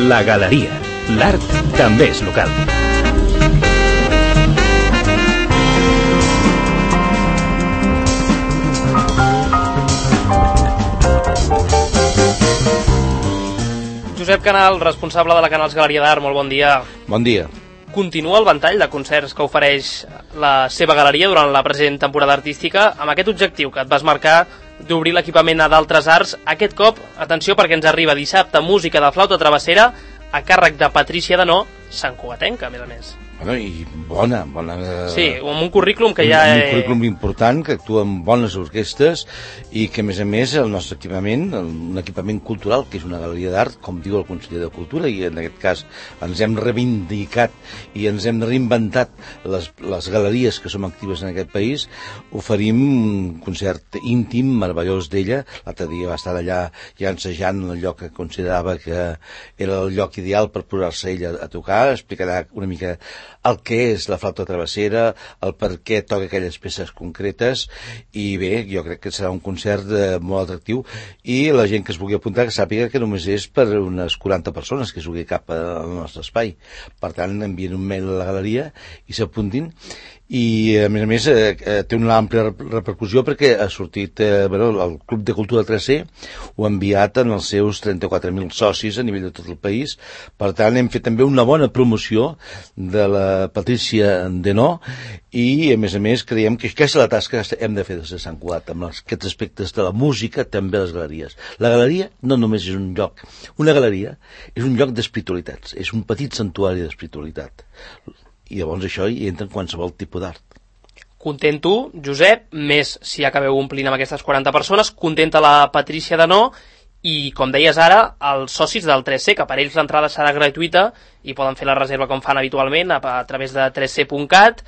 La Galeria. L'art també és local. Josep Canal, responsable de la Canals Galeria d'Art, molt bon dia. Bon dia. Continua el ventall de concerts que ofereix la seva galeria durant la present temporada artística amb aquest objectiu que et vas marcar d'obrir l'equipament a d'altres arts. Aquest cop, atenció perquè ens arriba dissabte música de flauta travessera a càrrec de Patrícia Denó, santcugatenca, a més a més. Bueno, i bona... Sí, amb un currículum que ja... Un currículum important, que actua amb bones orquestres i que, a més, el nostre equipament, un equipament cultural, que és una galeria d'art, com diu el conseller de Cultura, i en aquest cas ens hem reivindicat i ens hem reinventat les galeries que som actives en aquest país, oferim un concert íntim, meravellós d'ella. L'altre dia va estar allà ja ensejant en el lloc que considerava que era el lloc ideal per posar-se ella a tocar, explicarà una mica el que és la flauta travessera, el per què toca aquelles peces concretes, i bé, jo crec que serà un concert molt atractiu, i la gent que es vulgui apuntar que sàpiga que només és per unes 40 persones que es vulgui cap al nostre espai. Per tant, envien un mail a la galeria i s'apuntin, i a més té una àmplia repercussió perquè ha sortit el Club de Cultura 3C ho ha enviat en els seus 34.000 socis a nivell de tot el país. Per tant, hem fet també una bona promoció de la Patrícia Denó, i a més creiem que aquesta és la tasca que hem de fer des de Sant Cugat amb aquests aspectes de la música, també les galeries. La galeria no només és un lloc, una galeria és un lloc d'espiritualitats, és un petit santuari d'espiritualitat, i llavors això hi entra en qualsevol tipus d'art. Content tu, Josep, més si acabeu omplint amb aquestes 40 persones, contenta la Patrícia Denó, i com deies ara, els socis del 3C, que per ells l'entrada serà gratuïta i poden fer la reserva com fan habitualment a través de 3C.cat.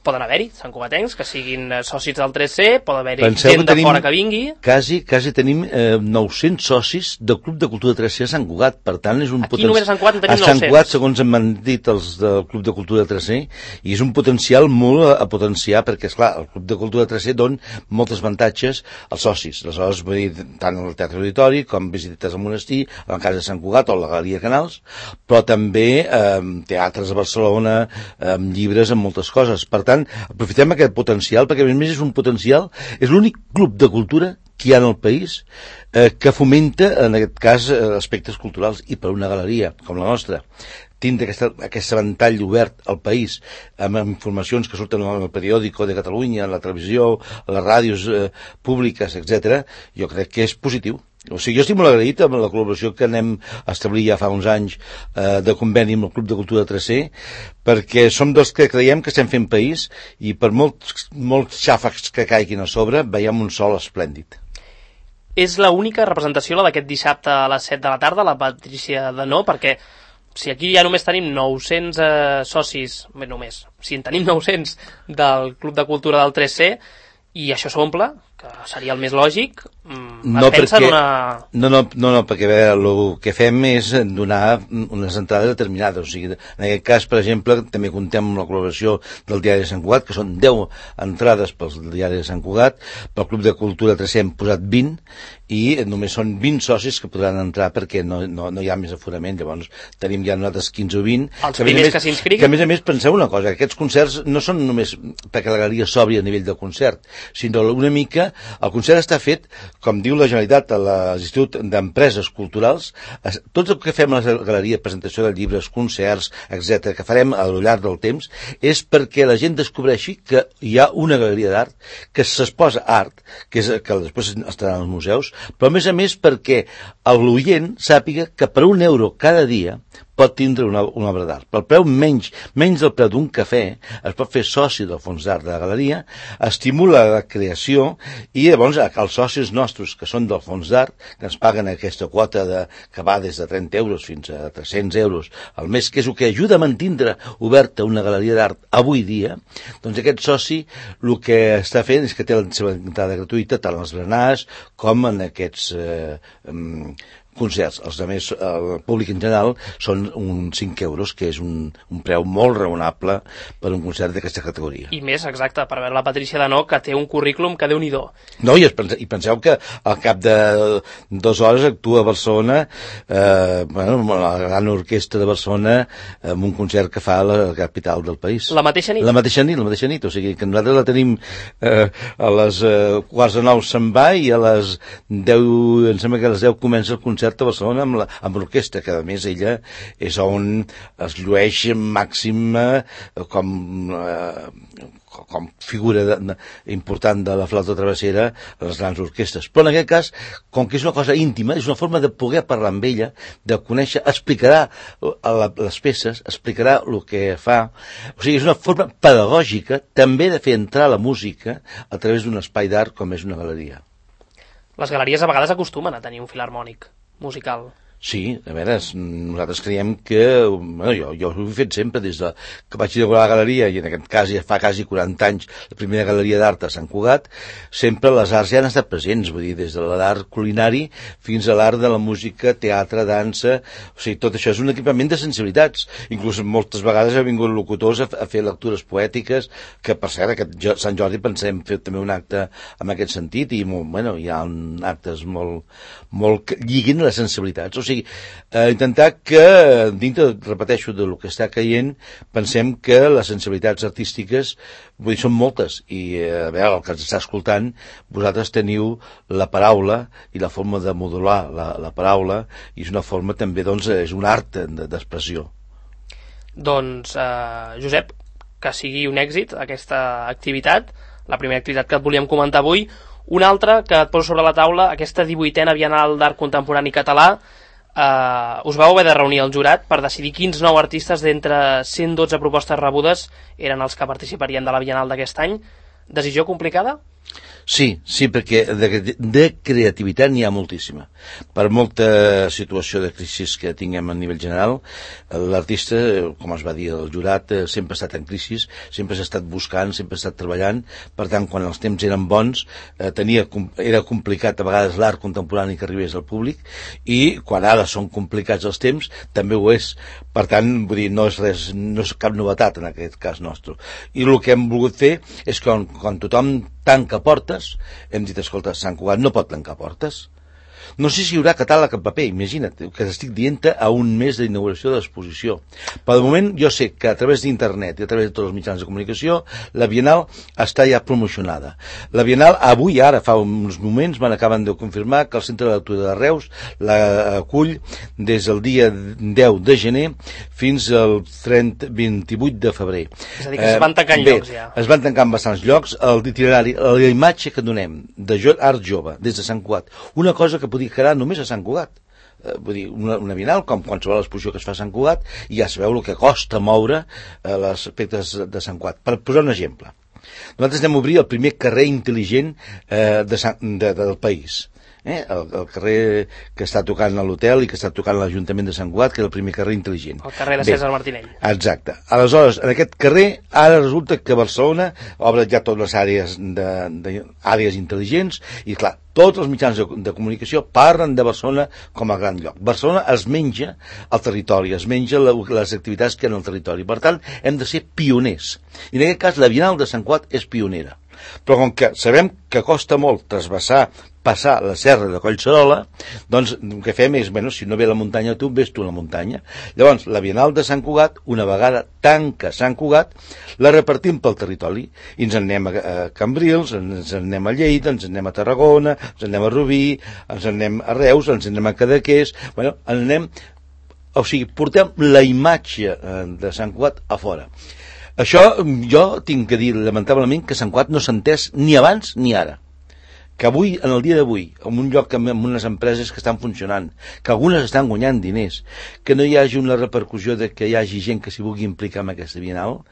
Poden haver-hi santcugatencs que siguin socis del 3C, pot haver-hi gent de fora que vingui. Quasi tenim 900 socis del Club de Cultura 3C a Sant Cugat, per tant és un Aquí només a Sant Cugat en tenim 900. A Sant Cugat, segons m'han dit els del Club de Cultura 3C, i és un potencial molt a potenciar, perquè esclar, el Club de Cultura 3C dona moltes avantatges als socis. Aleshores, vull dir, tant al Teatre Auditori com visites al monestir, a la Casa de Sant Cugat o a la Galeria Canals, però també teatres a Barcelona, llibres, amb moltes coses. Per tant, aprofitem aquest potencial, perquè a més és un potencial, és l'únic club de cultura que hi ha en el país que fomenta, en aquest cas, aspectes culturals, i per una galeria com la nostra tindre aquest ventall obert al país amb informacions que surten en el periòdico de Catalunya, en la televisió, a les ràdios públiques, etc., jo crec que és positiu. O sigui, jo estic molt agraït amb la col·laboració que anem a establir ja fa uns anys de conveni amb el Club de Cultura 3C, perquè som dels que creiem que estem fent país, i per molts xàfecs que caiguin a sobre veiem un sol esplèndid. És l'única representació la d'aquest dissabte a les 7 de la tarda, la Patrícia Denó, perquè si aquí ja només tenim 900 socis, bé, només, si en tenim 900 del Club de Cultura del 3C, i això s'omple, que seria el més lògic, pensa en una... No, perquè bé, el que fem és donar unes entrades determinades. O sigui, en aquest cas, per exemple, també contem amb la col·laboració del Diari de Sant Cugat, que són 10 entrades pel Diari de Sant Cugat. Pel Club de Cultura 3C hem posat 20, i només són 20 socis que podran entrar perquè no hi ha més aforament. Llavors tenim ja nosaltres 15 o 20. Els primers que s'inscriguin. Que a més penseu una cosa, que aquests concerts no són només perquè la galeria s'obri a nivell de concert, sinó una mica, el concert està fet, com diu la Generalitat a l'Institut d'Empreses Culturals, tot el que fem a la galeria, presentació de llibres, concerts, etc., que farem al llarg del temps, és perquè la gent descobreixi que hi ha una galeria d'art, que s'exposa art, que després estarà als museus, però a més perquè l'oient sàpiga que per €1 cada dia pot tindre una obra d'art. Pel preu menys del preu d'un cafè, es pot fer soci del fons d'art de la galeria, estimula la creació, i llavors els socis nostres que són del fons d'art, que ens paguen aquesta quota que va des de 30 euros fins a 300 euros al mes, que és el que ajuda a mantindre oberta una galeria d'art avui dia, doncs aquest soci el que està fent és que té la seva entrada gratuïta tant als berenars com en aquests concerts. Els altres, el públic en general, són uns 5 euros, que és un preu molt raonable per un concert d'aquesta categoria. I més, exacte, per veure la Patricia Denó, que té un currículum que Déu-n'hi-do. No, i penseu que al cap de 2 hores actua a Barcelona, la gran orquestra de Barcelona, amb un concert que fa a la capital del país. La mateixa nit? La mateixa nit, o sigui que nosaltres la tenim a les 8:45 se'n va i a les 10, em sembla que a les 10 comença el concert a Barcelona amb l'orquestra, que a més ella és on es llueix màxima com figura important de la flauta travessera a les grans orquestres. Però en aquest cas, com que és una cosa íntima, és una forma de poder parlar amb ella, de conèixer, explicarà les peces, explicarà el que fa. O sigui, és una forma pedagògica també de fer entrar la música a través d'un espai d'art com és una galeria. Les galeries a vegades acostumen a tenir un filharmònic musical. Sí, a veure, nosaltres creiem que... jo ho he fet sempre des que vaig inaugurar la galeria, i en aquest cas ja fa quasi 40 anys, la primera galeria d'art a Sant Cugat, sempre les arts ja han estat presents, vull dir, des de l'art culinari fins a l'art de la música, teatre, dansa... O sigui, tot això és un equipament de sensibilitats. Inclús moltes vegades ha vingut locutors a fer lectures poètiques, que per cert, aquest Sant Jordi pensem fer també un acte en aquest sentit, i hi ha actes molt que lliguin les sensibilitats. O sigui, intentar que, dintre, repeteixo, del que està caient, pensem que les sensibilitats artístiques, vull dir, són moltes, i a veure, el que ens està escoltant, vosaltres teniu la paraula i la forma de modular la paraula, i és una forma també, doncs, és un art d'expressió. Doncs, Josep, que sigui un èxit aquesta activitat, la primera activitat que et volíem comentar avui. Una altra que et poso sobre la taula, aquesta 18a Bienal d'Art Contemporani Català. Us vau haver de reunir el jurat per decidir quins 9 artistes d'entre 112 propostes rebudes eren els que participarien de la Bienal d'aquest any. Decisió complicada? Sí, perquè de creativitat n'hi ha moltíssima. Per molta situació de crisi que tinguem a nivell general, l'artista, com es va dir el jurat, sempre ha estat en crisi, sempre s'ha estat buscant, sempre ha estat treballant. Per tant, quan els temps eren bons, era complicat a vegades l'art contemporani que arribés al públic, i quan ara són complicats els temps, també ho és. Per tant, vull dir, no és cap novetat en aquest cas nostre. I el que hem volgut fer és que quan tothom tanca portes, hem dit, escolta, Sant Cugat no pot tancar portes. No sé si hi haurà catàleg en paper, imagina't, que t'estic dient a un mes d'inauguració de l'exposició. Per moment jo sé que a través d'internet i a través de tots els mitjans de comunicació la Bienal està ja promocionada. La Bienal avui, ara, fa uns moments, acaben de confirmar que el Centre de Lectura de Reus la acull des del dia 10 de gener fins al 28 de febrer. És a dir, que es van tancant llocs ja. Es van tancant bastants llocs. L'itinerari, la imatge que donem de art jove des de Sant Cugat, una cosa que podria quedar només a Sant Cugat. Vull dir, una Bienal, com qualsevol exposició que es fa a Sant Cugat, i ja sabeu el que costa moure les aspectes de Sant Cugat. Per posar un exemple, nosaltres anem a obrir el primer carrer intel·ligent del país. El carrer que està tocant a l'hotel i que està tocant l'Ajuntament de Sant Cugat, que és el primer carrer intel·ligent. El carrer de César Martinell. Exacte. Aleshores, en aquest carrer, ara resulta que Barcelona obre ja totes les àrees intel·ligents, i clar, tots els mitjans de comunicació parlen de Barcelona com a gran lloc. Barcelona es menja el territori, es menja les activitats que hi ha en el territori. Per tant, hem de ser pioners. I en aquest cas, la Bienal de Sant Cugat és pionera. Però com que sabem que costa molt passar la serra de Collserola, doncs el que fem és, si no ve la muntanya tu, ves tu a la muntanya. Llavors, la Bienal de Sant Cugat, una vegada tanca Sant Cugat, la repartim pel territori, i ens en anem a Cambrils, ens en anem a Lleida, ens en anem a Tarragona, ens en anem a Rubí, ens en anem a Reus, ens en anem a Cadaqués, o sigui, portem la imatge de Sant Cugat a fora. Això jo tinc que dir, lamentablement, que Sant Cugat no s'ha entès ni abans ni ara. Que avui, en el dia d'avui, en un lloc amb unes empreses que estan funcionant, que algunes estan guanyant diners, que no hi hagi una repercussió de que hi hagi gent que s'hi vulgui implicar en aquesta Bienal,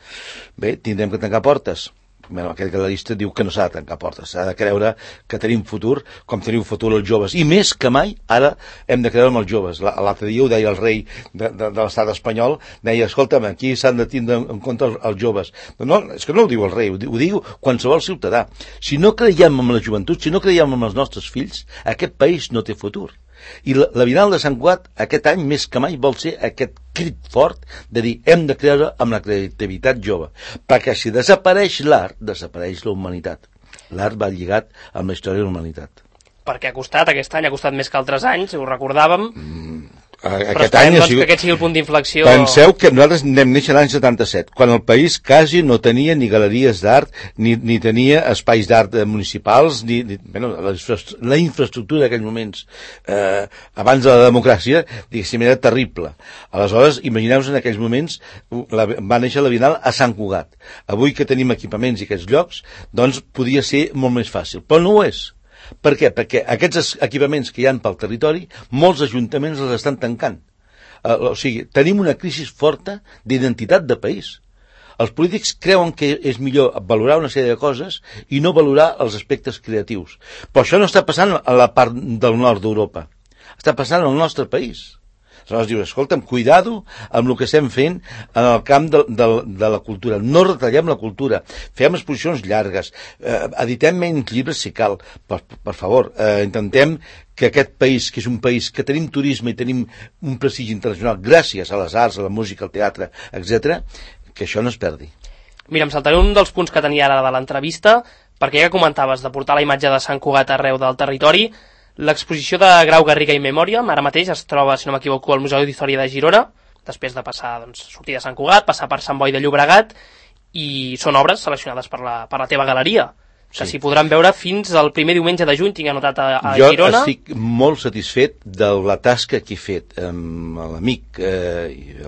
bé, tindrem que tancar portes. Aquest galerista diu que no s'ha de tancar portes, s'ha de creure que tenim futur, com tenim futur els joves, i més que mai ara hem de creure en els joves. L'altre dia ho deia el rei de l'estat espanyol, deia, escolta'm, aquí s'han de tindre en compte els joves. No, és que no ho diu el rei, ho diu qualsevol ciutadà. Si no creiem en la joventut, si no creiem en els nostres fills, aquest país no té futur. I la Bienal de Sant Cugat aquest any més que mai vol ser aquest crit fort de dir hem de creure amb la creativitat jove, perquè si desapareix l'art, desapareix la humanitat. L'art va lligat amb la història de la humanitat. Perquè aquest any ha costat més que altres anys, ho recordàvem. Però Aquest esperem any doncs, que aquest sigui el punt d'inflexió. Penseu que nosaltres anem néixer l'any 77, quan el país quasi no tenia ni galeries d'art, ni tenia espais d'art municipals, bueno, la infraestructura d'aquells moments, abans de la democràcia, diguéssim, era terrible. Aleshores, imagineu-vos en aquells moments, va néixer la Bienal a Sant Cugat. Avui que tenim equipaments i aquests llocs, doncs podia ser molt més fàcil, però no ho és. Per què? Perquè aquests equipaments que hi ha pel territori, molts ajuntaments els estan tancant. O sigui, tenim una crisi forta d'identitat de país. Els polítics creuen que és millor valorar una sèrie de coses i no valorar els aspectes creatius. Però això no està passant a la part del nord d'Europa. Està passant al nostre país. Aleshores dius, escolta'm, cuidado amb el que estem fent en el camp de la cultura. No retallem la cultura, fem exposicions llargues, editem menys llibres si cal. Per favor, intentem que aquest país, que és un país que tenim turisme i tenim un prestigi internacional gràcies a les arts, a la música, al teatre, etc., que això no es perdi. Mira, em saltaré un dels punts que tenia ara de l'entrevista, perquè ja que comentaves de portar la imatge de Sant Cugat arreu del territori. L'exposició de Grau Garriga i Memòria ara mateix es troba, si no m'equivoco, al Museu d'Història de Girona, després de passar, doncs, sortir de Sant Cugat, passar per Sant Boi de Llobregat, i són obres seleccionades per la teva galeria, que s'hi podran veure fins al primer diumenge de juny, tinc anotat a Girona. Jo estic molt satisfet de la tasca que he fet amb l'amic,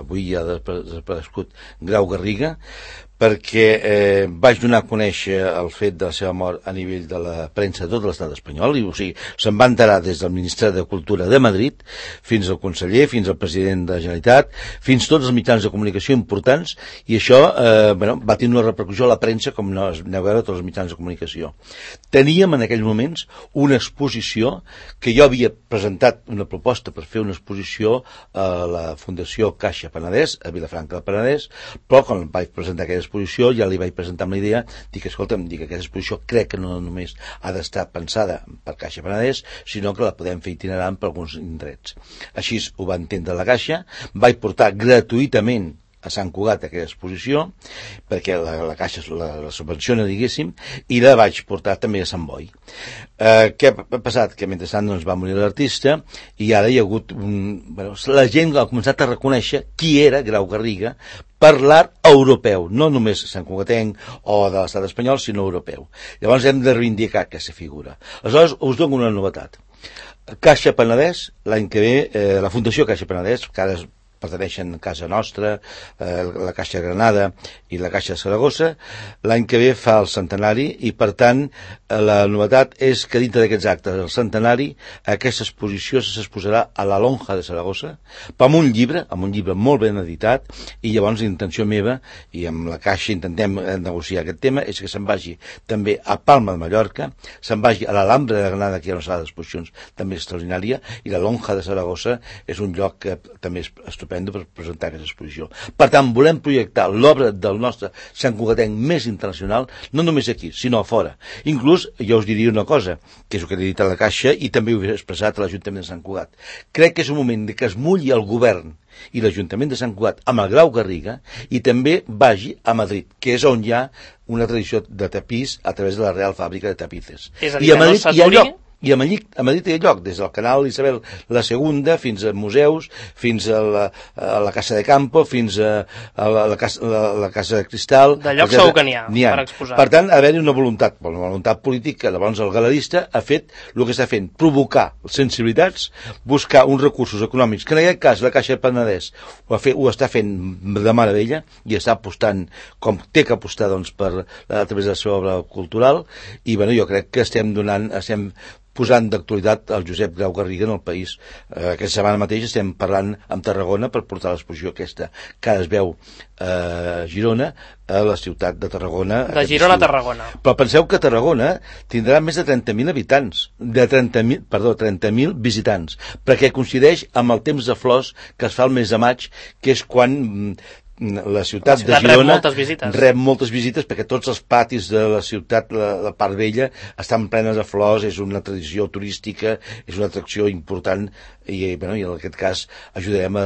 avui ja ha desaparegut, Grau Garriga, perquè vaig donar a conèixer el fet de la seva mort a nivell de la premsa de tot l'estat espanyol, o sigui, se'n va enterar des del Ministeri de Cultura de Madrid fins al conseller, fins al president de la Generalitat, fins tots els mitjans de comunicació importants, i això va tenir una repercussió a la premsa, com aneu a veure tots els mitjans de comunicació. Teníem en aquells moments una exposició que jo havia presentat una proposta per fer una exposició a la Fundació Caixa Penedès, a Vilafranca del Penedès, però quan vaig presentar aquella exposició ja li vaig presentar amb la idea, escolta'm, aquesta exposició crec que no només ha d'estar pensada per Caixa Penedès, sinó que la podem fer itinerant per alguns indrets. Així ho va entendre la Caixa, vaig portar gratuïtament a Sant Cugat aquella exposició, perquè la Caixa la subvenciona, diguéssim, i la vaig portar també a Sant Boi. Què ha passat? Que mentrestant va morir l'artista i ara hi ha hagut la gent ha començat a reconèixer qui era Grau Garriga per l'art europeu, no només santcugatenc o de l'estat espanyol, sinó europeu. Llavors hem de reivindicar aquesta figura. Aleshores us dono una novetat. Caixa Penedès, l'any que ve, la Fundació Caixa Penedès, que ara perteneixen a Casa Nostra, la Caixa Granada i la Caixa de Saragossa, l'any que ve fa el centenari i, per tant, la novetat és que dintre d'aquests actes del centenari aquesta exposició s'exposarà a la Lonja de Saragossa amb un llibre molt ben editat, i llavors la intenció meva, i amb la Caixa intentem negociar aquest tema, és que se'n vagi també a Palma de Mallorca, se'n vagi a l'Alhambra de Granada, que hi ha una sala d'exposicions també extraordinària, i la Lonja de Saragossa és un lloc que també és estupendo per presentar aquesta exposició. Per tant, volem projectar l'obra del nostre santcugatenc més internacional, no només aquí, sinó a fora. Inclús, jo us diria una cosa, que és el que he dit a la Caixa i també ho he expressat a l'Ajuntament de Sant Cugat. Crec que és un moment que es mulli el govern i l'Ajuntament de Sant Cugat amb el Grau Garriga i també vagi a Madrid, que és on hi ha una tradició de tapís a través de la Real Fàbrica de Tapices. És a dir, que no s'aturi. I a Madrid hi ha lloc, des del canal Isabel II fins a museus, fins a la Casa de Campo, fins a la Casa de Cristal. De lloc segur que n'hi ha per exposar. Per tant, haver-hi una voluntat política. Llavors el galerista ha fet el que està fent, provocar sensibilitats, buscar uns recursos econòmics, que en aquest cas la Caixa de Penedès ho està fent de meravella i està apostant com té que apostar a través de la seva obra cultural, i jo crec que estem posant d'actualitat el Josep Grau Garriga en el país. Aquesta setmana mateix estem parlant amb Tarragona per portar l'exposició aquesta que ara es veu a Girona, a la ciutat de Tarragona. De Girona a Tarragona. Però penseu que Tarragona tindrà més de 30.000 habitants, 30.000 visitants, perquè coincideix amb el temps de flors que es fa el mes de maig, que és quan la ciutat de Girona rep moltes visites perquè tots els patis de la ciutat, la part vella, estan plenes de flors, és una tradició turística, és una atracció important i en aquest cas ajudarem a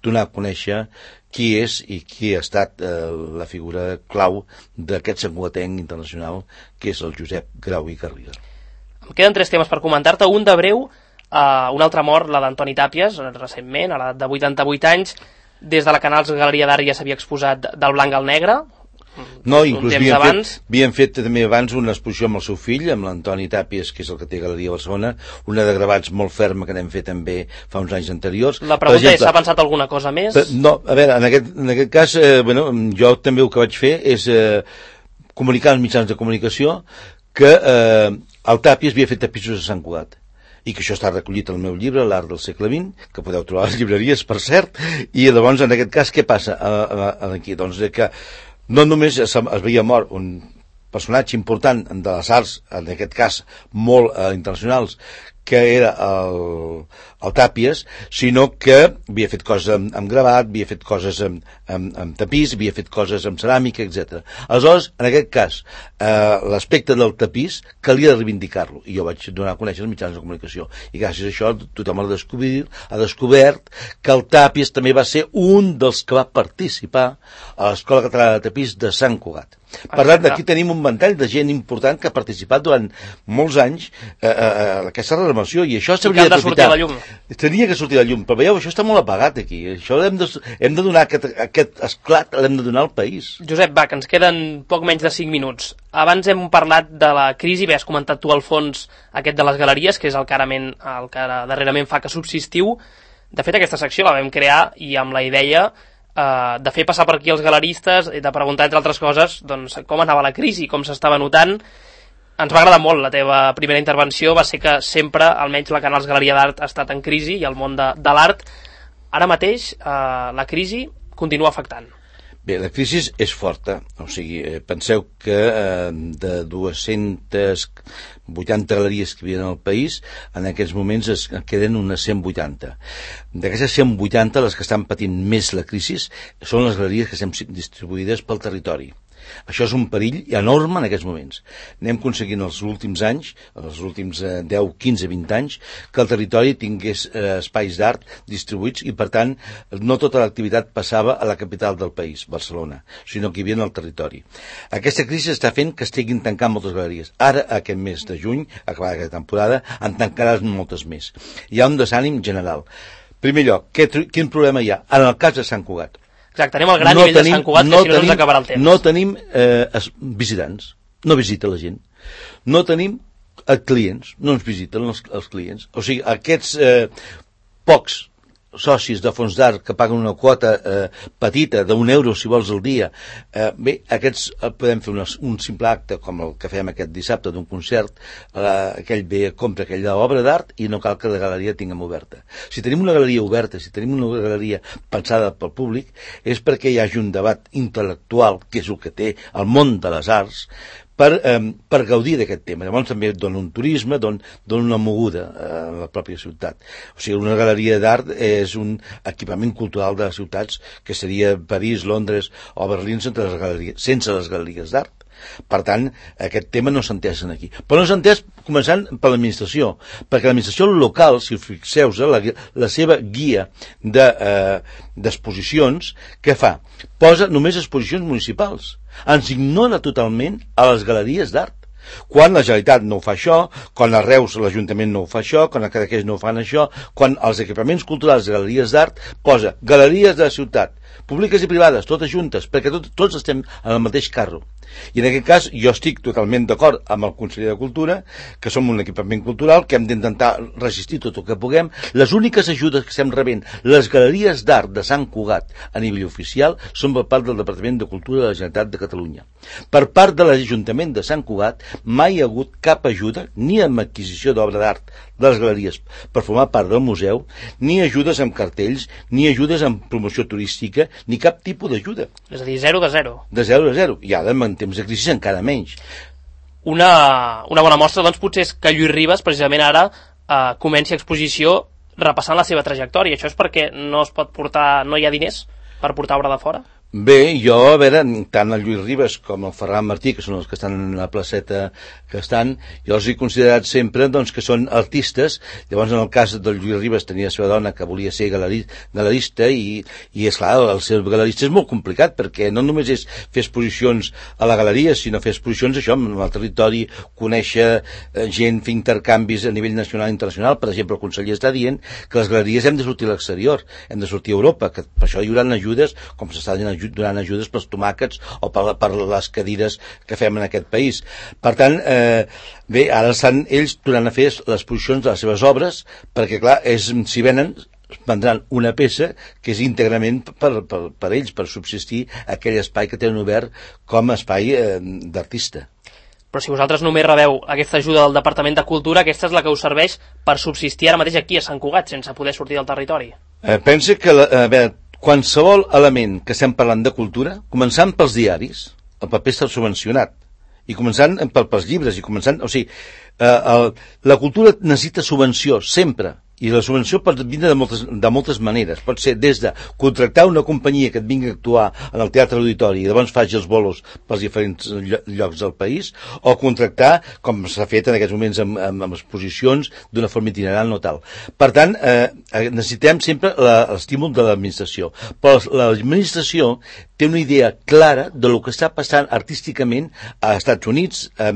donar a conèixer qui és i qui ha estat la figura clau d'aquest santcugatenc internacional que és el Josep Grau i Garriga. Em queden 3 temes per comentar-te, un de breu, un altre mort, la d'Antoni Tàpies, recentment, a l'edat de 88 anys. Des de la Canals Galeria d'Art ja s'havia exposat del blanc al negre. No, inclús havien fet també abans una exposició amb el seu fill, amb l'Antoni Tàpies, que és el que té Galeria de Barcelona, una de gravats molt ferma que n'hem fet també fa uns anys anteriors. La pregunta és, s'ha pensat alguna cosa més? No, a veure, en aquest cas, jo també el que vaig fer és comunicar als mitjans de comunicació que el Tàpies havia fet tapissos a Sant Cugat, i que això està recollit al meu llibre, L'art del segle XX, que podeu trobar a les llibreries, per cert, i llavors, en aquest cas, què passa aquí? Doncs que no només es veia mort un personatge important de les arts, en aquest cas, molt internacionals, que era el Tàpies, sinó que havia fet coses amb gravat, havia fet coses amb tapís, havia fet coses amb ceràmica, etc. Aleshores, en aquest cas, l'aspecte del tapís calia reivindicar-lo, i jo vaig donar a conèixer els mitjans de comunicació, i gràcies a això tothom ha descobert que el Tàpies també va ser un dels que va participar a l'Escola Catalana de Tapís de Sant Cugat. Per tant, aquí tenim un ventall de gent important que ha participat durant molts anys a aquesta renovació, i això s'hauria d'aprofitar. Tenia que sortir a la llum, però veieu, això està molt apagat aquí. Això hem de donar aquest esclat, l'hem de donar al país. Josep, va, que ens queden poc menys de 5 minuts. Abans hem parlat de la crisi, bé, has comentat tu al fons aquest de les galeries, que és el que darrerament fa que subsistiu. De fet, aquesta secció la vam crear i amb la idea de fer passar per aquí els galeristes i de preguntar, entre altres coses, doncs, com anava la crisi, com s'estava notant. Ens va agradar molt la teva primera intervenció, va ser que sempre, almenys la Canals Galeria d'Art ha estat en crisi, i el món de l'art. Ara mateix la crisi continua afectant. Bé, la crisi és forta, o sigui, penseu que de 280 galeries que hi havia al país, en aquests moments es queden unes 180. D'aquestes 180, les que estan patint més la crisi són les galeries que estan distribuïdes pel territori. Això és un perill enorme en aquests moments. Anem aconseguint els últims anys, els últims 10, 15, 20 anys, que el territori tingués espais d'art distribuïts i, per tant, no tota l'activitat passava a la capital del país, Barcelona, sinó que hi havia en el territori. Aquesta crisi està fent que estiguin tancant moltes galeries. Ara, aquest mes de juny, acabada aquesta temporada, en tancaran moltes més. Hi ha un desànim general. En primer lloc, quin problema hi ha? En el cas de Sant Cugat. Exacte, anem al gran nivell de Sant Cugat, que si no ens acabarà el temps. No tenim visitants, no visita la gent. No tenim clients, no ens visiten els clients. O sigui, aquests pocs socis de fons d'art que paguen una quota petita d'€1, si vols, al dia, bé, aquests podem fer un simple acte com el que fem aquest dissabte d'un concert, aquell ve, compra aquella obra d'art i no cal que la galeria tinguem oberta. Si tenim una galeria oberta, si tenim una galeria pensada pel públic, és perquè hi hagi un debat intel·lectual, que és el que té el món de les arts, per gaudir d'aquest tema. Llavors també dona un turisme, dona una moguda a la pròpia ciutat. O sigui, una galeria d'art és un equipament cultural de les ciutats que seria París, Londres o Berlín sense les galeries d'art. Per tant, aquest tema no s'ha entès aquí. Però no s'ha entès començant per l'administració, perquè l'administració local, si us fixeu, la seva guia d'exposicions, què fa? Posa només exposicions municipals. Ens ignora totalment a les galeries d'art. Quan la Generalitat no ho fa això, quan a Reus l'Ajuntament no ho fa això, quan a Cadaqués no ho fan això, quan els equipaments culturals de galeries d'art posa galeries de la ciutat, públiques i privades, totes juntes, perquè tots estem en el mateix carro. I en aquest cas jo estic totalment d'acord amb el conseller de Cultura, que som un equipament cultural, que hem d'intentar resistir tot el que puguem. Les úniques ajudes que estem rebent, les galeries d'art de Sant Cugat a nivell oficial, són per part del Departament de Cultura de la Generalitat de Catalunya. Per part de l'Ajuntament de Sant Cugat mai hi ha hagut cap ajuda, ni amb adquisició d'obra d'art de les galeries per formar part del museu, ni ajudes amb cartells, ni ajudes amb promoció turística, ni cap tipus d'ajuda. És a dir, 0 de 0. De 0 a 0. I ara, en temps de crisi, encara menys. Una bona mostra, doncs, potser és que Lluís Ribas, precisament ara, comenci exposició repassant la seva trajectòria. Això és perquè no es pot portar, no hi ha diners per portar obra de fora? Bé, jo, a veure, tant el Lluís Ribas com el Ferran Martí, que són els que estan en la placeta que estan, jo els he considerat sempre doncs, que són artistes. Llavors, en el cas del Lluís Ribas, tenia la seva dona que volia ser galerista i esclar, el ser galerista és molt complicat, perquè no només és fer exposicions a la galeria, sinó fer exposicions això, en el territori, conèixer gent, fer intercanvis a nivell nacional i internacional. Per exemple, el conseller està dient que les galeries hem de sortir a l'exterior, hem de sortir a Europa, que per això hi haurà ajudes, com s'està donant ajudes pels tomàquets o per les cadires que fem en aquest país. Per tant, bé, ara estan ells tornant a fer les exposicions de les seves obres, perquè clar, si venen vendran una peça que és íntegrament per ells, per subsistir aquell espai que tenen obert com a espai d'artista. Però si vosaltres només rebeu aquesta ajuda del Departament de Cultura, aquesta és la que us serveix per subsistir ara mateix aquí a Sant Cugat, sense poder sortir del territori. Pensa que, a veure, qualsevol element que estem parlant de cultura, començant pels diaris, el paper està subvencionat, i començant pels llibres, o sigui, la cultura necessita subvenció, sempre, i la subvenció pot vindre de moltes maneres. Pot ser des de contractar una companyia que et vingui a actuar en el teatre auditori i llavors faci els bolos pels diferents llocs del país, o contractar, com s'ha fet en aquests moments amb exposicions, d'una forma itinerant o tal. Per tant, necessitem sempre l'estímul de l'administració. Però l'administració té una idea clara de lo que està passant artísticament a Estats Units, a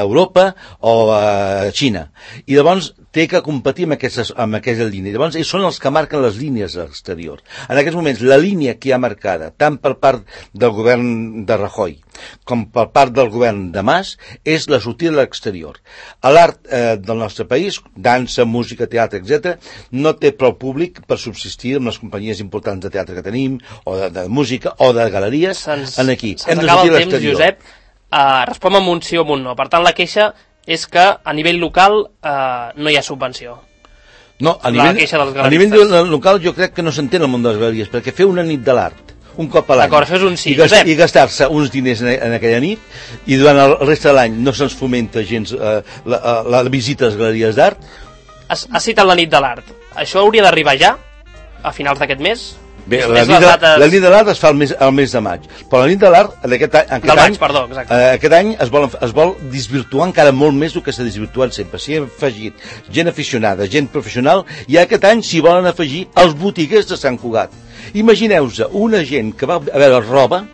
Europa o a Xina. I llavors té que competir amb aquesta línia. Llavors, ells són els que marquen les línies a l'exterior. En aquests moments, la línia que hi ha marcada, tant per part del govern de Rajoy com per part del govern de Mas, és la sortida a l'exterior. L'art del nostre país, dansa, música, teatre, etc., no té prou públic per subsistir amb les companyies importants de teatre que tenim, o de música, o de galeries, aquí. Hem de sortir a l'exterior. Josep, respon amb un sí o amb un no. Per tant, la queixa és que a nivell local no hi ha subvenció. No, a nivell local jo crec que no s'entén el món de les galeries, perquè fer una nit de l'art un cop a l'any. D'acord, això és un sí. I gastar-se uns diners en aquella nit, i durant el reste de l'any no se'ns fomenta gens la visita a les galeries d'art. Has citat la nit de l'art. Això hauria d'arribar ja, a finals d'aquest mes? Bé, la nit de l'art es fa el mes de maig, però la nit de l'art aquest any es vol desvirtuar encara molt més del que s'ha desvirtuat sempre. S'hi ha afegit gent aficionada, gent professional, i aquest any s'hi volen afegir els botiguers de Sant Cugat. Imagineu-vos una gent que va a veure roba.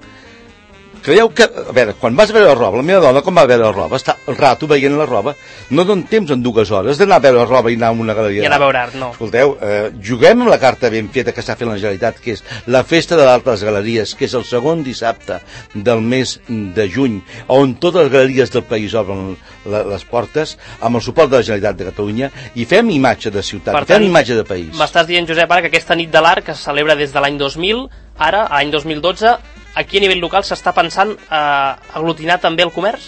Creieu que, a veure, quan vas a veure la roba, la meva dona, quan va a veure la roba, està el rato veient la roba, no donen temps en 2 hores d'anar a veure la roba i anar a una galeria. I anar a veure art, no. Escolteu, juguem amb la carta ben feta que està fent la Generalitat, que és la Festa de l'Art de les Galeries, que és el segon dissabte del mes de juny, on totes les galeries del país obren les portes, amb el suport de la Generalitat de Catalunya, i fem imatge de ciutat, fem imatge de país. M'estàs dient, Josep, ara que aquesta nit de l'art, que se celebra des de l'any 2000, ara, l'any 2012, aquí a nivell local s'està pensant aglutinar també el comerç?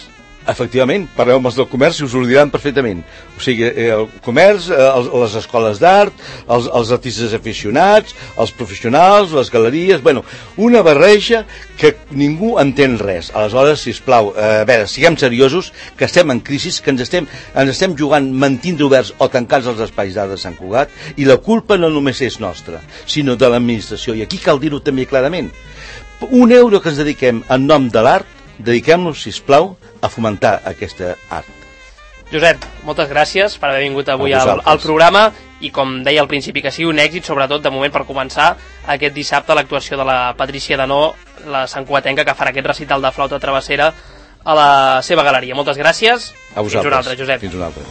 Efectivament, parleu amb els del comerç i us ho diran perfectament. O sigui, el comerç, les escoles d'art, els artistes aficionats, els professionals, les galeries, bueno, una barreja que ningú entén res. Aleshores, sisplau, a veure, siguem seriosos, que estem en crisi, que ens estem jugant mantindre oberts o tancats els espais d'art de Sant Cugat, i la culpa no només és nostra, sinó de l'administració, i aquí cal dir-ho també clarament. €1 que ens dediquem en nom de l'art, dediquem-nos, sisplau, a fomentar aquesta art. Josep, moltes gràcies per haver vingut avui al programa, i com deia al principi, que sigui un èxit, sobretot de moment per començar aquest dissabte l'actuació de la Patrícia Denó, la santcugatenca, que farà aquest recital de flauta travessera a la seva galeria. Moltes gràcies. A vosaltres. Fins una altra, Josep. Fins una altra.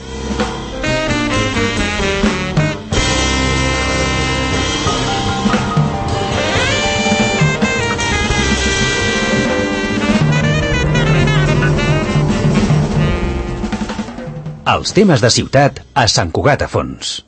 Els temes de ciutat a Sant Cugat a Fons.